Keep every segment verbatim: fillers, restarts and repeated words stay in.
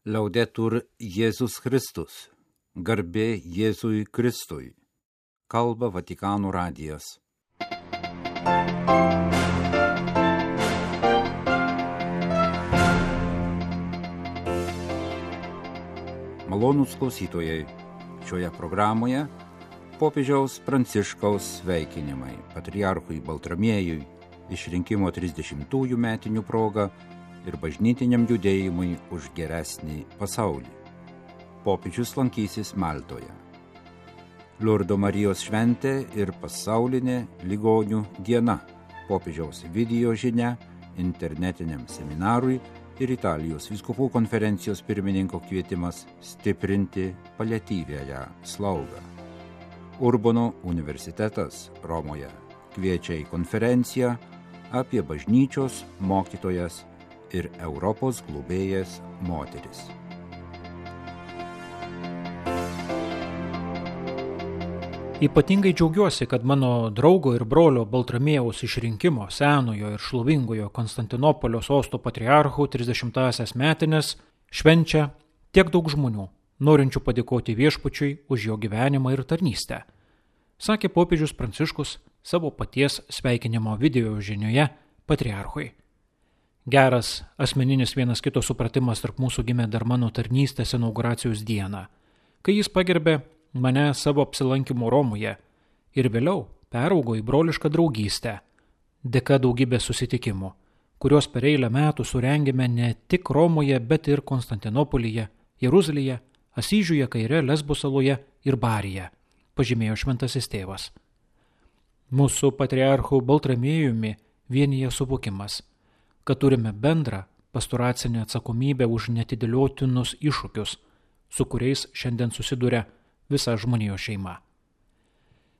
Laudetur Jėzus Kristus, garbė Jėzui Kristui, kalba Vatikano radijas. Malonūs klausytojai, šioje programoje popiežiaus Pranciškaus sveikinimai patriarchui Baltramiejui išrinkimo trisdešimtųjų metinių proga ir bažnytiniam judėjimui už geresnį pasaulį. Popiežius lankysis Maltoje. Lurdo Marijos šventė ir pasaulinė ligonių diena. Popiežiaus video žinia internetiniam seminarui ir Italijos vyskupų konferencijos pirmininko kvietimas stiprinti paliatyviąją slaugą. Urbono universitetas Romoje kviečia į konferenciją apie bažnyčios mokytojas ir Europos globėjas moteris. Ypatingai džiaugiuosi, kad mano draugo ir brolio Baltramiejaus išrinkimo senojo ir šlovingojo Konstantinopolio sosto patriarchų trisdešimtąsias metines švenčia tiek daug žmonių, norinčių padėkoti viešpačiui už jo gyvenimą ir tarnystę, sakė popiežius Pranciškus savo paties sveikinimo video žinioje patriarchui. Geras asmeninis vienas kito supratimas tarp mūsų gimė dar mano tarnystės inauguracijos dieną, kai jis pagerbė mane savo apsilankymu Romoje ir vėliau peraugo į brolišką draugystę, dėka daugybės susitikimų, kuriuos per eilę metų surengėme ne tik Romoje, bet ir Konstantinopolyje, Jeruzalėje, Asyžiuje, Kaire, Lesbo saloje ir Baryje, pažymėjo šventasis tėvas. Mūsų patriarchų Baltramiejumi vienyje suvokimas, kad turime bendrą pastoracinę atsakomybę už netidėliotinus iššūkius, su kuriais šiandien susiduria visa žmonijos šeima.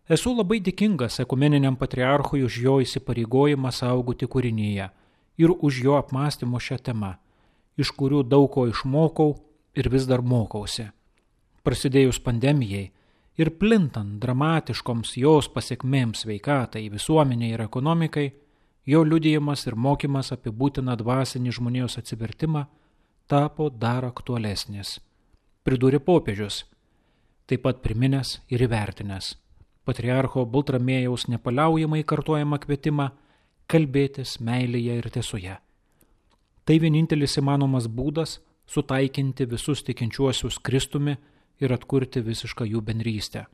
Esu labai dėkingas ekumeniniam patriarchui už jo įsipareigojimą saugoti kūrinyje ir už jo apmąstymo šią temą, iš kurių daug ko išmokau ir vis dar mokausi. Prasidėjus pandemijai ir plintant dramatiškoms jos pasekmėms sveikatai, visuomeniai ir ekonomikai, jo liudijimas ir mokymas apie būtiną dvasinį žmonijos atsivertimą tapo dar aktualesnis, pridūrė popiežius, taip pat priminęs ir įvertinęs patriarcho Baltramiejaus nepaliaujamai kartojamą kvietimą kalbėtis meilėje ir tiesoje. Tai vienintelis įmanomas būdas sutaikinti visus tikinčiuosius Kristumi ir atkurti visišką jų bendrystę.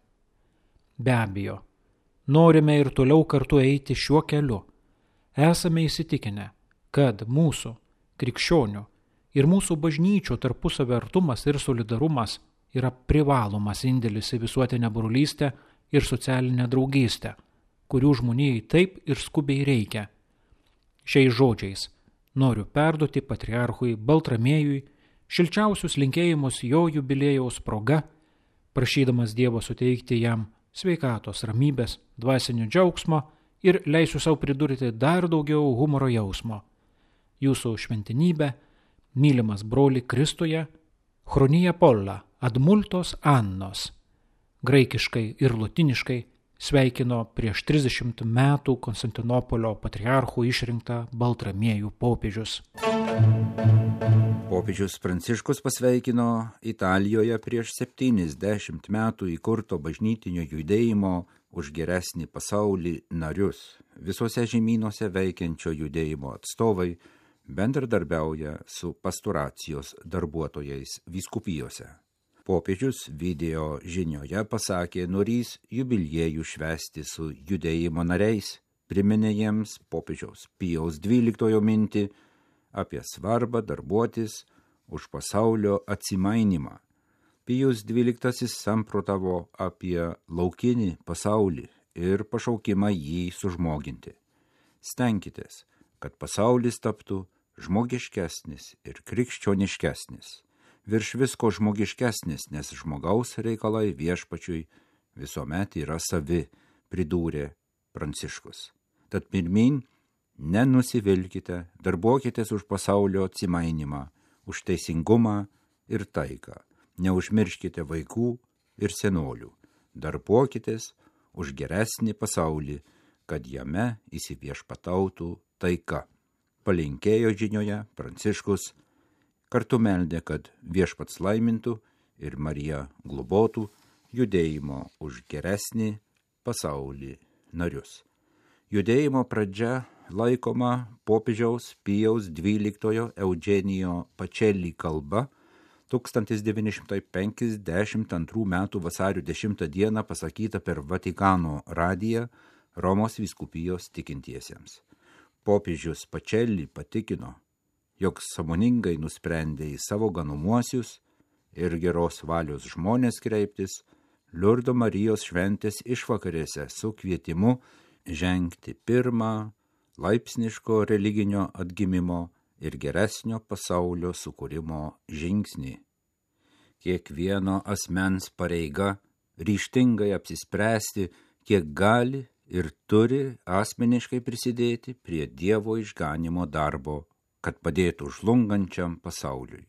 Be abejo, norime ir toliau kartu eiti šiuo keliu. Esame įsitikinę, kad mūsų, krikščionių ir mūsų bažnyčių tarpusavio artumas ir solidarumas yra privalomas indėlis į visuotinę brolystę ir socialinę draugystę, kurių žmonijai taip ir skubiai reikia. Šiais žodžiais noriu perduoti patriarchui Baltramiejui šilčiausius linkėjimus jo jubiliejaus proga, prašydamas Dievo suteikti jam sveikatos, ramybės, dvasinio džiaugsmo ir leisiu savo pridurti dar daugiau humoro jausmo. Jūsų šventinybė, mylimas broli Kristuje, chronija polla ad multos annos, graikiškai ir lotiniškai sveikino prieš trisdešimt metų Konstantinopolio patriarchų išrinktą Baltramiejų popiežius. Popiežius Pranciškus pasveikino Italijoje prieš septyniasdešimt metų įkurto bažnytinio judėjimo už geresnį pasaulį narius. Visose žemynuose veikiančio judėjimo atstovai bendradarbiauja su pastoracijos darbuotojais vyskupijose. Popiežius video žinioje pasakė, norys jubiliejų švęsti su judėjimo nariais, priminė jiems popiežiaus Pijaus dvyliktojo mintį apie svarbą darbuotis už pasaulio atsimainimą. Pijus dvyliktasis samprotavo apie laukinį pasaulį ir pašaukimą jį sužmoginti. Stenkitės, kad pasaulis taptų žmogiškesnis ir krikščioniškesnis, virš visko žmogiškesnis, nes žmogaus reikalai viešpačiui visuomet yra savi, pridūrė Pranciškus. Tad pirmyn, nenusivilkite, darbuokitės už pasaulio atsimainimą, už teisingumą ir taiką. Neužmirškite vaikų ir senolių, darbuokitės už geresnį pasaulį, kad jame įsiviešpatautų taika. Palinkėjo žinioje Pranciškus, Kartu meldė, kad Viešpats laimintų ir Marija globotų judėjimo už geresnį pasaulį narius. Judėjimo pradžia laikoma popiežiaus Pijaus dvyliktojo Eugenijo Pacelli kalba tūkstantis devyni šimtai penkiasdešimt antrų metų vasario dešimtą dieną pasakyta per Vatikano radiją Romos vyskupijos tikintiesiems. Popiežius Pacelli patikino, jog sąmoningai nusprendė į savo ganomuosius ir geros valios žmonės kreiptis Liurdo Marijos šventės išvakarėse su kvietimu žengti pirmą laipsniško religinio atgimimo ir geresnio pasaulio sukūrimo žingsnį. Kiekvieno asmens pareiga ryžtingai apsispręsti, kiek gali ir turi asmeniškai prisidėti prie Dievo išganimo darbo, kad padėtų žlungančiam pasauliui.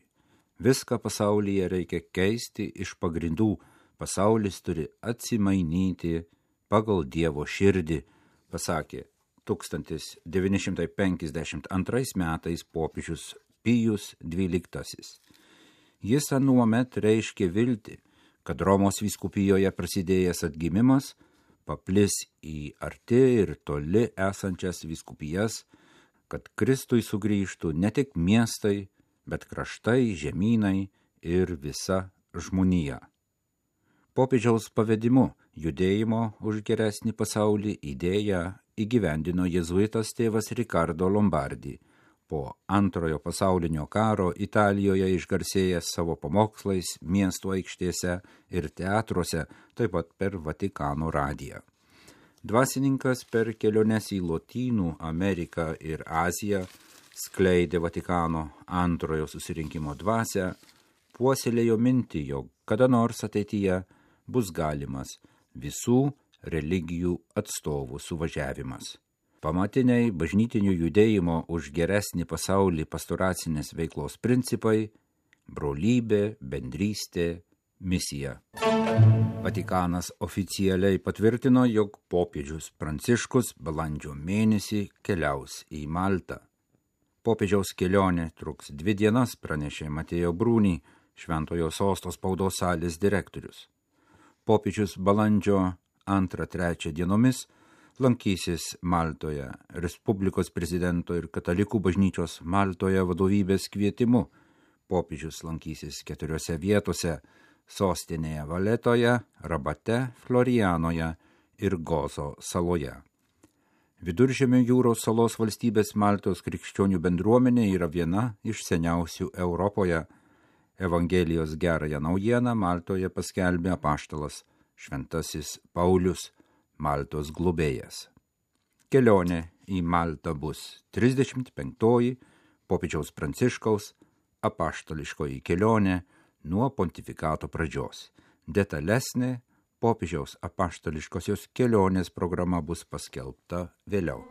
Viską pasaulyje reikia keisti iš pagrindų, pasaulis turi atsimainyti pagal Dievo širdį, pasakė tūkstantis devyni šimtai penkiasdešimt antrais metais popiežius Pijus dvyliktasis. Jis anuomet reiškė viltį, kad Romos vyskupijoje prasidėjęs atgimimas paplis į arti ir toli esančias vyskupijas, kad Kristui sugrįžtų ne tik miestai, bet kraštai, žemynai ir visa žmonija. Popiežiaus pavedimu judėjimo už geresnį pasaulį idėją įgyvendino jėzuitas tėvas Ricardo Lombardi, po antrojo pasaulinio karo Italijoje išgarsėjęs savo pamokslais miesto aikštėse ir teatruose, taip pat per Vatikano radiją. Dvasininkas per keliones į Lotynų Ameriką ir Aziją skleidė Vatikano antrojo susirinkimo dvasią, puoselėjo mintį, jog kada nors ateityje bus galimas visų religijų atstovų suvažiavimas. Pamatiniai bažnytinių judėjimo už geresnį pasaulį pastoracinės veiklos principai – brolybė, bendrystė, misija. Vatikanas oficialiai patvirtino, jog popiežius Pranciškus balandžio mėnesį keliaus į Maltą. Popiežiaus kelionė truks dvi dienas, pranešė Matėjo Brūnį, Šventojo Sosto spaudos salės direktorius. Popiežius balandžio antrą trečią dienomis lankysis Maltoje Respublikos prezidento ir katalikų bažnyčios Maltoje vadovybės kvietimu. Popiežius lankysis keturiose vietose – sostinėje Valetoje, Rabate, Florianoje ir Gozo saloje. Viduržemio jūros salos valstybės Maltos krikščionių bendruomenė yra viena iš seniausių Europoje. Evangelijos gerąją naujieną Maltoje paskelbė apaštalas Šventasis Paulius, Maltos globėjas. Kelionė į Maltą bus trisdešimt penktoji popiežiaus Pranciškaus apaštališkoji kelionė nuo pontifikato pradžios. Detalesnė popiežiaus apaštališkosios kelionės programa bus paskelbta vėliau.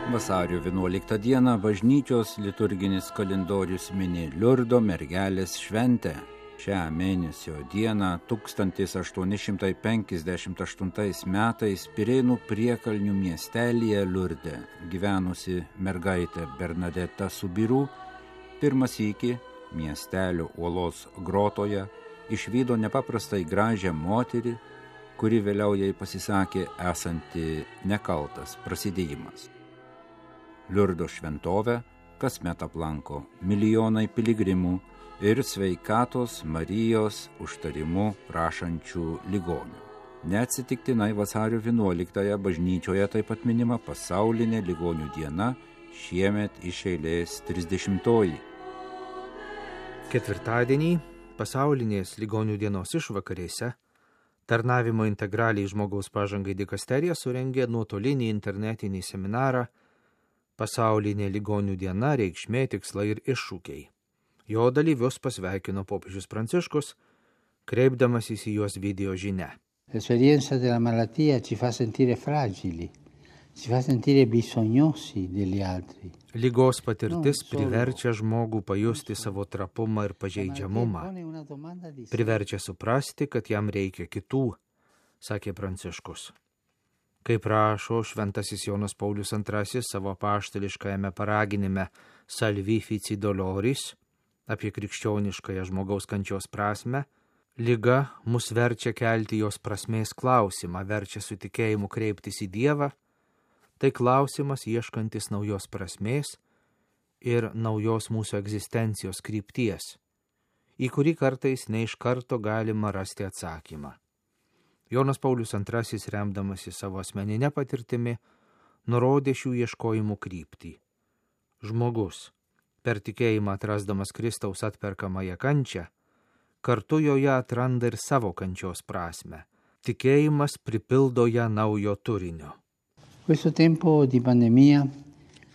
Vasario vienuoliktą dieną bažnyčios liturginis kalendorius mini Liurdo mergelės šventę. Šią mėnesio dieną tūkstantis aštuoni šimtai penkiasdešimt aštuntais metais Pirėnų priekalnių miestelyje Liurde gyvenusi mergaitė Bernadeta Subiru pirmą sykį miestelio uolos grotoje išvydo nepaprastai gražią moterį, kuri vėliau jai pasisakė esanti nekaltas prasidėjimas. Liurdo šventovę kasmet aplanko milijonai piligrimų ir sveikatos Marijos užtarimu prašančių ligonių. Neatsitiktinai vasario vienuoliktąją bažnyčioje taip pat minima pasaulinė ligonių diena, šiemet iš eilės trisdešimtoji. Ketvirtadienį pasaulinės ligonių dienos išvakarėse Tarnavimo integraliai žmogaus pažangai dikasterija surengė nuotolinį internetinį seminarą Pasaulinė ligonių diena, reikšmė, tikslai ir iššūkiai. Jo dalyvius pasveikino popiežius Pranciškus, kreipdamasis į juos video žinia. L'esperienza della malattia ci fa sentire fragili, ci fa sentire bisognosi degli altri. Ligos patirtis priverčia žmogų pajusti savo trapumą ir pažeidžiamumą. Priverčia suprasti, kad jam reikia kitų, sakė Pranciškus. Kaip rašo šventasis Jonas Paulius antrasis savo apaštališkajame paraginime Salvi Fici Doloris apie krikščioniškąją žmogaus kančios prasme, liga mus verčia kelti jos prasmės klausimą, verčia su tikėjimu kreiptis į Dievą. Tai klausimas ieškantis naujos prasmės ir naujos mūsų egzistencijos krypties, į kurį kartais ne iš karto galima rasti atsakymą. Jonas Paulius antrasis, remdamasi savo asmeninę patirtimi, nurodė šių ieškojimų kryptį. Žmogus, per tikėjimą atrasdamas Kristaus atperkamąją kančią, kartu joje atranda ir savo kančios prasme. Tikėjimas pripildo ją naujo turinio. Questo tempo di pandemia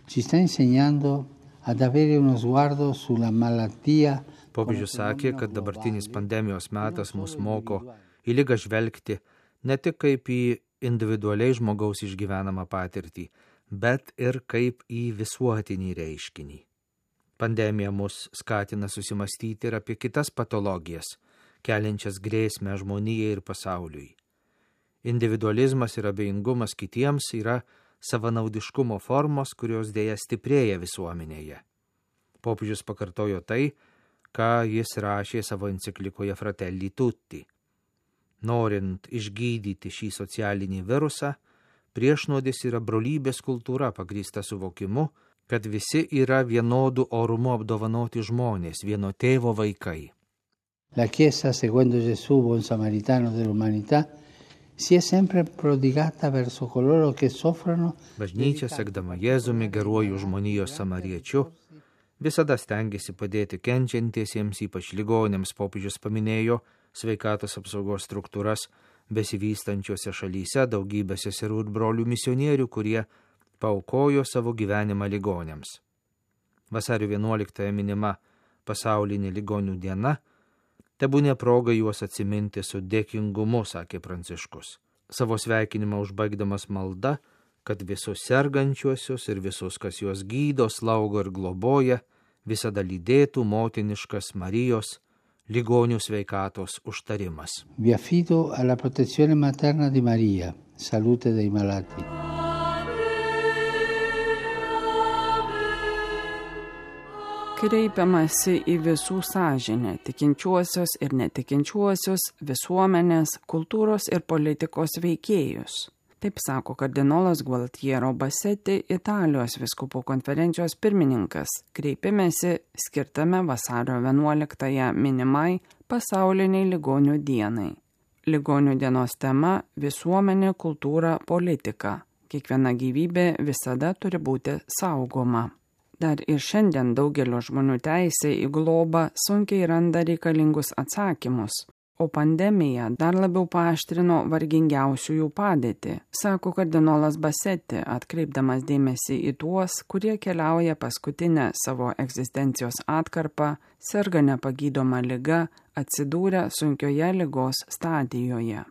ci sta insegnando ad avere uno sguardo sulla malattia. Popiežius sakė, kad dabartinis pandemijos metas mus moko į ligą žvelgti ne tik kaip į individualiai žmogaus išgyvenamą patirtį, bet ir kaip į visuotinį reiškinį. Pandemija mus skatina susimastyti ir apie kitas patologijas, keliančias grėsmę žmonijai ir pasauliui. Individualizmas ir abejingumas kitiems yra savanaudiškumo formos, kurios dėja stiprėja visuomenėje. Popiežius pakartojo tai, ką jis rašė savo enciklikoje Fratelli Tutti. Norint išgydyti šį socialinį virusą, priešnuodis yra brolybės kultūra pagrįsta suvokimu, kad visi yra vienodų orumu apdovanoti žmonės, vieno tėvo vaikai. La Chiesa, seguendo Gesù, buon samaritano dell'umanità, si è sempre prodigata verso coloro che soffrono. Bažnyčia, sekdama Jėzumi, geruoju žmonijos samariečiu, visada stengiasi padėti kenčiantiesiems, ypač ligonėms. Popiežius paminėjo sveikatos apsaugos struktūras besivystančiose šalyse, daugybę seserų ir brolių misionierių, kurie paaukojo savo gyvenimą ligonėms. Vasario vienuoliktąją minima pasaulinė ligonių diena, tebūnė proga juos atsiminti su dėkingumu, sakė Pranciškus. Savo sveikinimą užbaigdamas malda, kad visus sergančiuosius ir visus, kas juos gydo, slaugo ir globoja, visada lydėtų motiniškas Marijos ligonių sveikatos užtarimas. Vi affido alla protezione materna di Maria, salute dei malati. Kreipiamasi į visų sąžinę, tikinčiuosius ir netikinčiuosius, visuomenės, kultūros ir politikos veikėjus. Taip sako kardinolas Gualtiero Bassetti, Italijos vyskupų konferencijos pirmininkas, kreipimėsi skirtame vasario vienuoliktąją minimai pasauliniai ligonių dienai. Ligonių dienos tema – visuomenė, kultūra, politika. Kiekviena gyvybė visada turi būti saugoma. Dar ir šiandien daugelio žmonių teisė į globą sunkiai randa reikalingus atsakymus, o pandemija dar labiau paaštrino vargingiausiųjų padėtį, sako kardinolas Bassetti, atkreipdamas dėmesį į tuos, kurie keliauja paskutinę savo egzistencijos atkarpą, serga nepagydoma liga, atsidūrę sunkioje ligos stadijoje.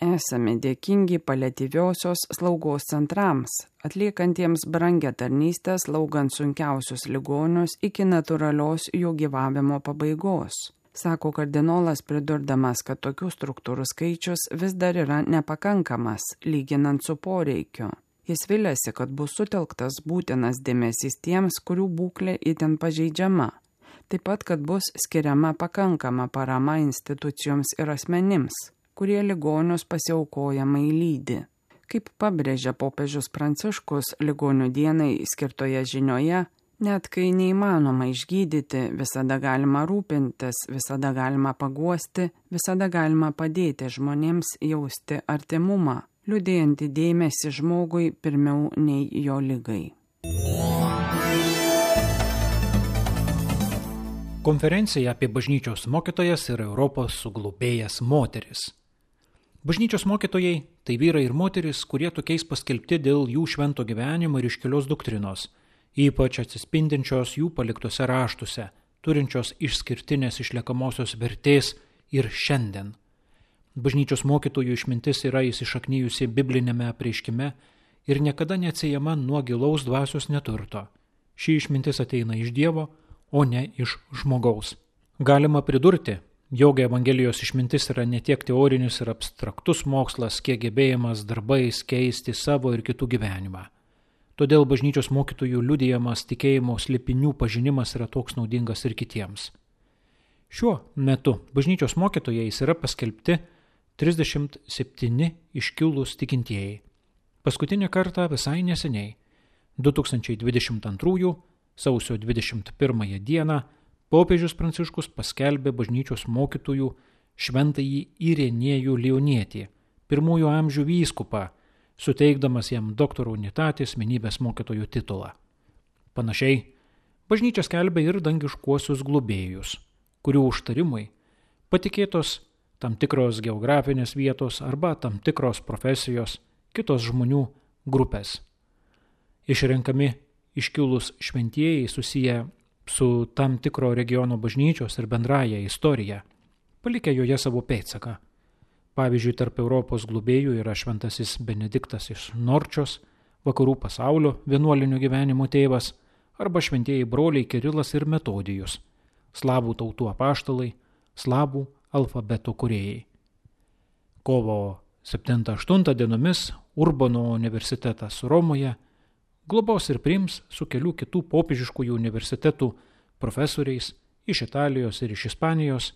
Esame dėkingi paliatyviosios slaugos centrams, atliekantiems brangę tarnystę slaugant sunkiausius ligonius iki natūralios jų gyvavimo pabaigos. Sako kardinolas, pridurdamas, kad tokių struktūrų skaičius vis dar yra nepakankamas, lyginant su poreikiu. Jis viliasi, kad bus sutelktas būtinas dėmesys tiems, kurių būklė itin pažeidžiama. Taip pat, kad bus skiriama pakankama parama institucijoms ir asmenims, kurie ligonius pasiaukojamai lydi. Kaip pabrėžia popiežius Pranciškus ligonių dienai skirtoje žinioje, net kai neįmanoma išgydyti, visada galima rūpintis, visada galima paguosti, visada galima padėti žmonėms jausti artimumą, liudėjantį dėmesį žmogui pirmiau nei jo ligai. Konferencija apie bažnyčios mokytojas ir Europos suglobėjas moteris. Bažnyčios mokytojai – tai vyrai ir moteris, kurie tokiais paskelbti dėl jų švento gyvenimo ir iškilios doktrinos, ypač atsispindinčios jų paliktose raštuose, turinčios išskirtinės išliekamosios vertės ir šiandien. Bažnyčios mokytojų išmintis yra įsišaknyjusi biblinėme apreiškime ir niekada neatsiejama nuo gilaus dvasios neturto. Ši išmintis ateina iš Dievo, o ne iš žmogaus. Galima pridurti, jog Evangelijos išmintis yra ne tiek teorinis ir abstraktus mokslas, kiek gebėjimas darbais keisti savo ir kitų gyvenimą. Todėl bažnyčios mokytojų liudijamas tikėjimo slėpinių pažinimas yra toks naudingas ir kitiems. Šiuo metu bažnyčios mokytojais yra paskelbti trisdešimt septyni iškilūs tikintieji. Paskutinį kartą visai neseniai, du tūkstančiai dvidešimt antrųjų sausio dvidešimt pirmąją dieną, popiežius Pranciškus paskelbė bažnyčios mokytojų šventąjį Irenėjų Leonietį, pirmųjų amžių vyskupą, suteikdamas jam doktorų unitatis asmenybės mokytojų titulą. Panašiai, bažnyčia skelbė ir dangiškuosius globėjus, kurių užtarimui patikėtos tam tikros geografinės vietos arba tam tikros profesijos, kitos žmonių grupės. Išrenkami iškilūs šventieji susiję su tam tikro regiono bažnyčios ir bendraja istorija, palikę joje savo pėdsaką. Pavyzdžiui, tarp Europos globėjų yra šventasis Benediktas iš Norčios, vakarų pasaulio vienuolinio gyvenimo tėvas, arba šventieji broliai Kirilas ir Metodijus, slavų tautų apaštalai, slavų alfabeto kūrėjai. Kovo septintą aštuntą dienomis Urbano universitetas Romoje globos ir priims su kelių kitų popiežiškųjų universitetų profesoriais iš Italijos ir iš Ispanijos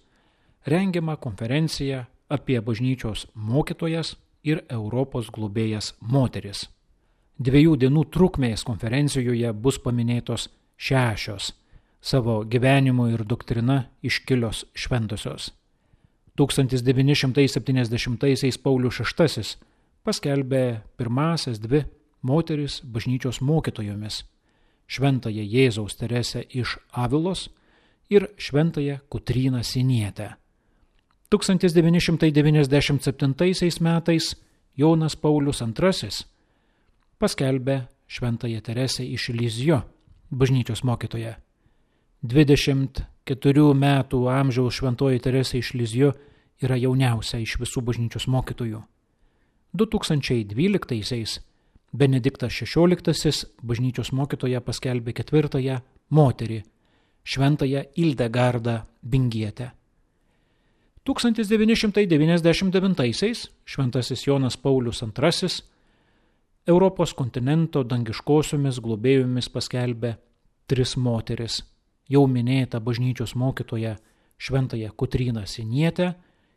rengiamą konferenciją apie bažnyčios mokytojas ir Europos globėjas moteris. Dviejų dienų trukmės konferencijoje bus paminėtos šešios savo gyvenimo ir doktrina iškilios šventosios. tūkstantis devyni šimtai septyniasdešimtaisiais Paulius šeštasis paskelbė pirmąsias dvi moteris bažnyčios mokytojomis – šventąją Jėzaus Teresę iš Avilos ir šventąją Kotryną Sinietę. tūkstantis devyni šimtai devyniasdešimt septintaisiais metais Jonas Paulius antrasis paskelbė šventąją Teresę iš Lizjo bažnyčios mokytoją. dvidešimt keturių metų amžiaus šventoji Teresė iš Lizjo yra jauniausia iš visų bažnyčios mokytojų. du tūkstančiai dvyliktaisiais Benediktas šešioliktasis bažnyčios mokytoja paskelbė ketvirtąją moterį, šventąją Ildegardą Bingietę. tūkstantis devyni šimtai devyniasdešimt devintaisiais šventasis Jonas Paulius antrasis Europos kontinento dangiškosiomis globėjomis paskelbė tris moteris, jau minėtą bažnyčios mokytoją šventąją Kotryną Sinietę,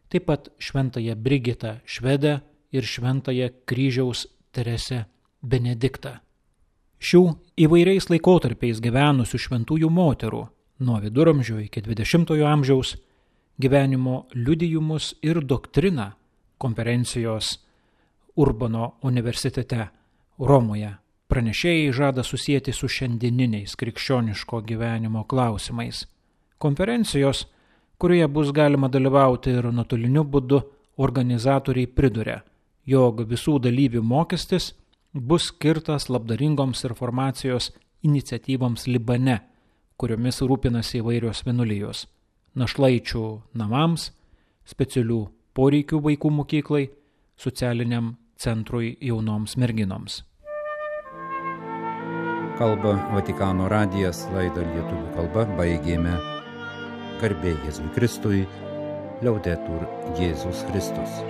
taip pat šventąją Brigitą Švedę ir šventąją Kryžiaus Teresę Benediktą. Šių įvairiais laikotarpiais gyvenusių šventųjų moterų nuo viduramžių iki dvidešimtojo amžiaus gyvenimo liudijimus ir doktriną konferencijos Urbano universitete Romoje pranešėjai žada susijęti su šiandieniniais krikščioniško gyvenimo klausimais. Konferencijos, kurioje bus galima dalyvauti ir nuotoliniu būdu, organizatoriai priduria, jog visų dalyvių mokestis bus skirtas labdaringoms informacijos iniciatyvoms Libane, kuriomis rūpinasi įvairios vienuolijos, našlaičių namams, specialių poreikių vaikų mokyklai, socialiniam centrui jaunoms merginoms. Kalba Vatikano radijas, laidą lietuvių kalba baigėme. Garbė Jėzui Kristui, Liaudetur Jėzus Kristus.